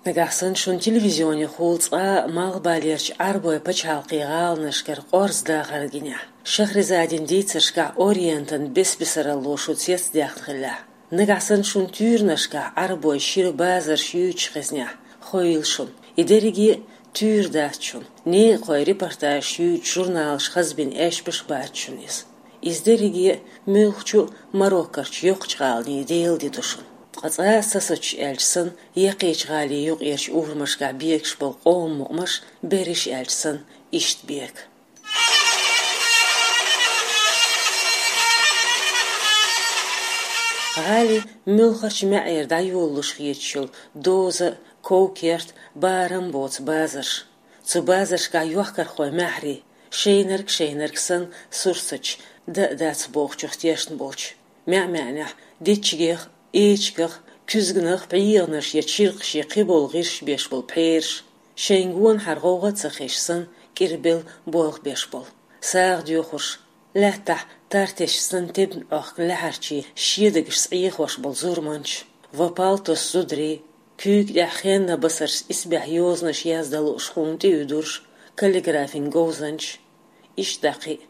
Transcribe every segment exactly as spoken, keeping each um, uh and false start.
Нагахь санна шуна телевизионехула цкъа а малхбалерчу Ӏарбойн пачхьалкхийн гӀаланашкара къорза дахар гинехь, Шахризадин дийцаршкахь Ориентан бес-бесаралло шу цецдаьккхина хиллехь, нагахь санна шуна туьйранашкахь Ӏарбойн шира базарш юьйцуш хезнехь, ховийла шуна, и дерриге а туьйра дац шуна, некъахойн репортажаш юьйцуш журналаш хазбина эшпаш бац шуна иза. Иза дерриге а муьлххачу а Мароккорчу йоккхачу гӀаланийн делан де ду шуна. Ткъа цкъа а сацош аьлча санна, яккхийчу гӀалин юкъерчу урамашкахь бегаш болу къоман мукъамаш, берриш аьлча санна, иштта бега. ГӀалин муьлххачу маьӀӀера дӀайолалуш хеташ йолу доза, ков-керт, барам боцу базарш. Цу базаршкахь йохкархойн маьхьарий, шайнарг-шайнарг санна, сурсаташ, дан а дац бохучух тешна болчу, маьӀ-маьӀнехь дечигех, эчигах, куьзганах пхьегӀанаш я чиркхаш я кхиболу гӀирсаш беш болу пхьераш, шайна гонахьара гӀовгӀа а ца хезаш санна, кӀирбелла болх беш болу, сагӀа доьхурш, лаьттахь тар тесча санна тебна Ӏохку лаьхьарчий шедагашца Ӏехош болу зурманчаш, вапал тосу зударий, куьйга тӀехь хеннан басаршца исбаьхьа йозанаш яздан лууш хьуна тӀеуьдурш, каллиграфин говзанчаш, иштта дӀа кхин а,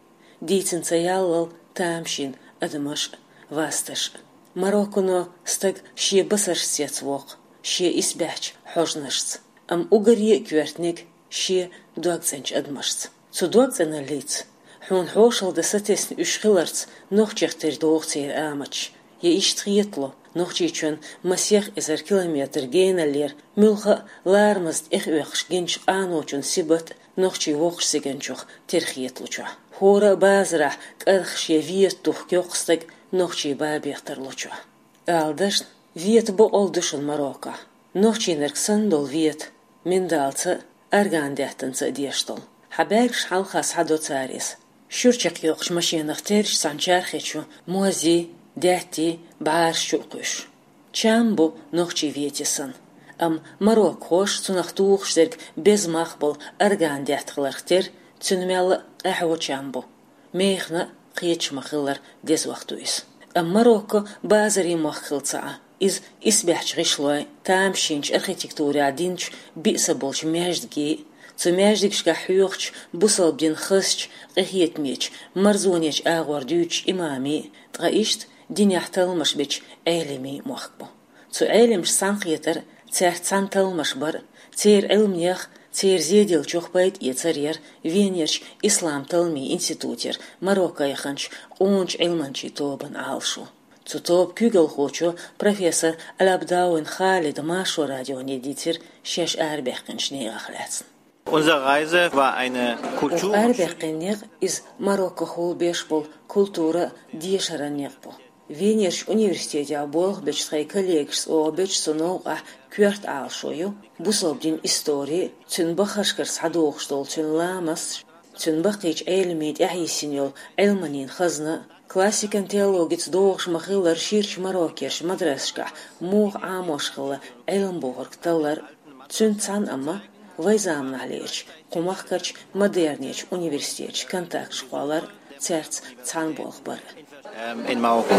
дийцина ца яллал тамашийна адамаш а, васташ а. Мароккано стаг шен басаршца цецвоккху, шен исбаьхьчу хьожанашца, амма уггаре а коьртаниг шен догцӀеначу адамашца. Цу догцӀеналлица, хьуна хьошалла дан сатесна уьш хиларца нохчех тера догӀу церан аматаш. Я иштта хетало, Нохчийчоьнан масех эзар километр геналлера муьлхха а ларамаза тӀехъоьхуш гиначу къаночун сибат а нохчийн воккхачу циганчух тера хеталучохь. ХӀора а базарахь кӀархаш я вета тухку йоккха стаг нохчийн бабех тарлучохь. Ала дашна, вета бакъалла ду шуна Мароккохь. Нохчийнарг санна долу вета, миндалца а, арган даьттанца а деш долу. Хьан бӀаьргаш хьалха схьадо цара иза. Шуьра чекхйоккхучу машенах терча цхьана чархечу мозий, даьттий, бӀараш чу а кхуьссуш. Чам бу нохчийн вете санна. Амма мароккхоша цунах тухуш дерг беза мах болу арган даьтта хиларх тера, цуьнан мелла а къаьхьо чам бу. Механа а кхеташ ма-хиллара дезох ду иза. Амма Марокко базарийн мохк хилла ца Ӏа. Иза исбаьхьчу гӀишлойн, тамашийначу архитектурехь динчу биъ са болчу маьждигий, цу маьждигашкахь хьоьхучу бусалба дин хазчу, къинхетамечу, марзонечу агӀор дуьйцучу имамий, ткъа иштта динехь талламаш бечу Ӏелимийн мохк бу. Цу Ӏелимашца цхьаьнакхетар, цаьрца цхьаьна талламаш бар, церан Ӏилманех, церан зеделлачух пайда эцар яра Венерчу ислам талламийн институтера Марокко яханчу къоначу Ӏилманчийн тобан Ӏалашо. Цу тоба куьйгалхочо, профессор Алабдауин Халида Маршо радионе дийцира шаьш арабаьккхинчу некъах лаьцна. Unsere Reise war eine Оха Kultur- арабаьккхина некъ иза Мароккохула беш болу культура а, дешаран некъ бу. Венерчу университетехь болх бечу тхайн коллегашца оха бечу цу новкъахь коьрта Ӏалашо ю бусалба динан истори а, цуьнан баххашкара схьадогӀуш долу цуьнан ламасташ а, цуьнан баккхийчу Ӏелимийн тӀаьхьайиссина йолу Ӏилманийн хазна а, классикан теологица догӀуш ма-хиллара ширачу Мароккерчу мадрасашкахь муха Ӏамош хилла Ӏилма бохург таллар а. Цуьнца цхьаьна амма вайн заманахьлерчу кху махкарчу модернечу университеташа контакташ кхоллар а, цаьрца цхьаьна болх бар а. Ähm, in Marokko.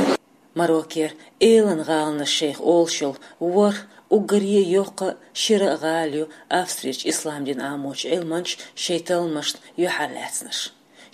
Мароккера элан гӀаланаш шайх олуш йолу ворхӀ уггаре а йоккха а, шира а гӀала ю Австрерчу ислам дин Ӏамочу Ӏилманчийн шайн талламашна юьхьар лаьцнарш.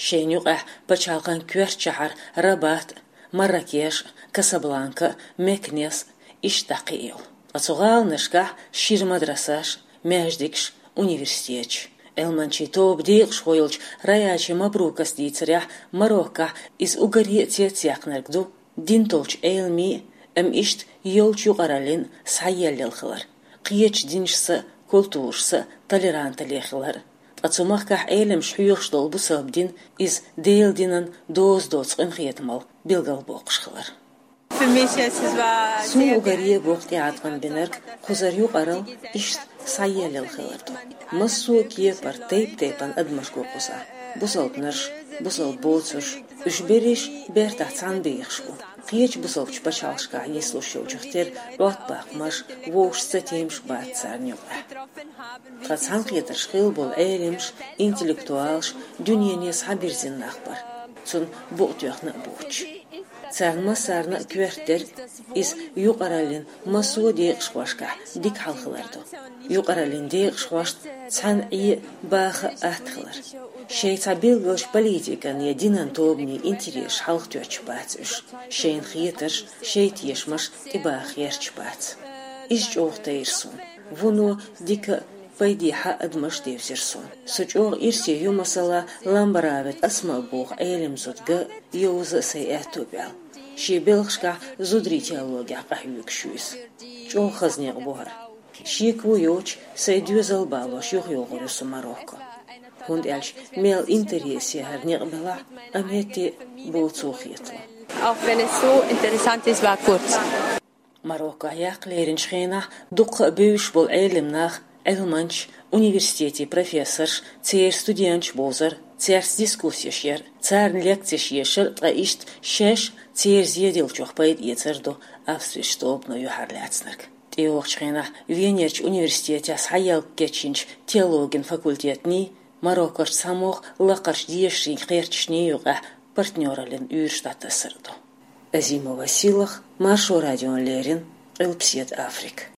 Шайна юкъахь пачхьалкхан коьртачу шахьар Рабат а, Марракеш а, Касабланка а, Мекнес а, иштта дӀа кхин а йолу. Ткъа цу гӀаланашкахь шира мадрасаш а, маьждигаш а, университеташ а. Ӏилманчийн тоба декъашхо йолчу Раячи Мабрукас дийцарехь, Мароккохь иза уггаре а цецъяьккхинарг ду дин толчу Ӏелимийн а, амма иштта йолчу юкъараллин а схьаеллал хилар, кхечу динашца а, культурашца а толерантале хилар а. Ткъа цу махкахь Ӏелимаш хьоьхуш долу бусалба дин, иза Делан динан доза доцу къинхетамалла билгалбоккхуш хилар. Суна уггаре а боккха тӀеӀаткъам бинарг кхузара юкъаралла, иштта схьаеллал хилар ду. Массо а кепара тайп-тайпана адамаш го кхузахь: бусалбанаш, бусалба боцурш, уьш берриш бертахь цхьаьна бехаш бу. Кхечу бусалбачу пачхьалкхашкахь йисалуш йолчух тера Ӏоттабаккхамаш, вовшашца цатемаш бац царна юкъахь. Тхан цхьаьнакхетарш хилла болу Ӏелимаш, интеллектуалаш дуьнене схьабирзина нах бара, цунна букъ тоьхна а боцуш. Царна массарна а коьртадира иза юкъараллин массо а декъашхошкахь дика хьал хилар ду. Юкъараллин декъашхошца цхьаьна Ӏе баха атта хилар. Шайн цхьа билгалча политикан я динан тобанийн интересаш хьалхатоьттуш бац уьш, шайна хетарш, шайн тешамаш тӀебаха гӀерташ бац. Иза чӀогӀа тайра суна. Вуно дика а, пайдехьа а адамаш девзира суна. Со чӀогӀа ирсе ю, масала, Ламбаравет Асма боху Ӏелам зуда ган а, йовза а сайн аьтто баьлла. Шен белхашкахь зударийн теологехь къахьоьгуш ю иза. ЧӀогӀа хаза некъ бу хӀара. Шеко йоцуш, сайн доьзал балош юхайогӀур ю со Марокко. ХӀунда аьлча мел интересе хӀара некъ белахь а, амма хӀетте а боцу хетало. Auch wenn es so interessant ist, war kurz. Мароккохь яккха леринчу хенахь дуккха а бевзаш болу Ӏелам нах, Ӏилманчаш, университетийн профессорш, церан студенташ бовзар, цаьрца дискуссеш яр, царна лекцеш ешар, ткъа иштта шаьш церан зеделлачух пайда эцар ду Австрерчу тобано юьхьарлаьцнарг. ТӀейогӀучу хенахь Венерчу университетехь схьаелла кечйинчу теологин факультетний, Мароккорчу цхьамогӀа лакхарчу дешарийн кхерчашний юкъахь партнёраллин уьйраш дӀатасар а ду. Азимова Сийлаха, Маршо радиона леррина, Къилбаседа Африка.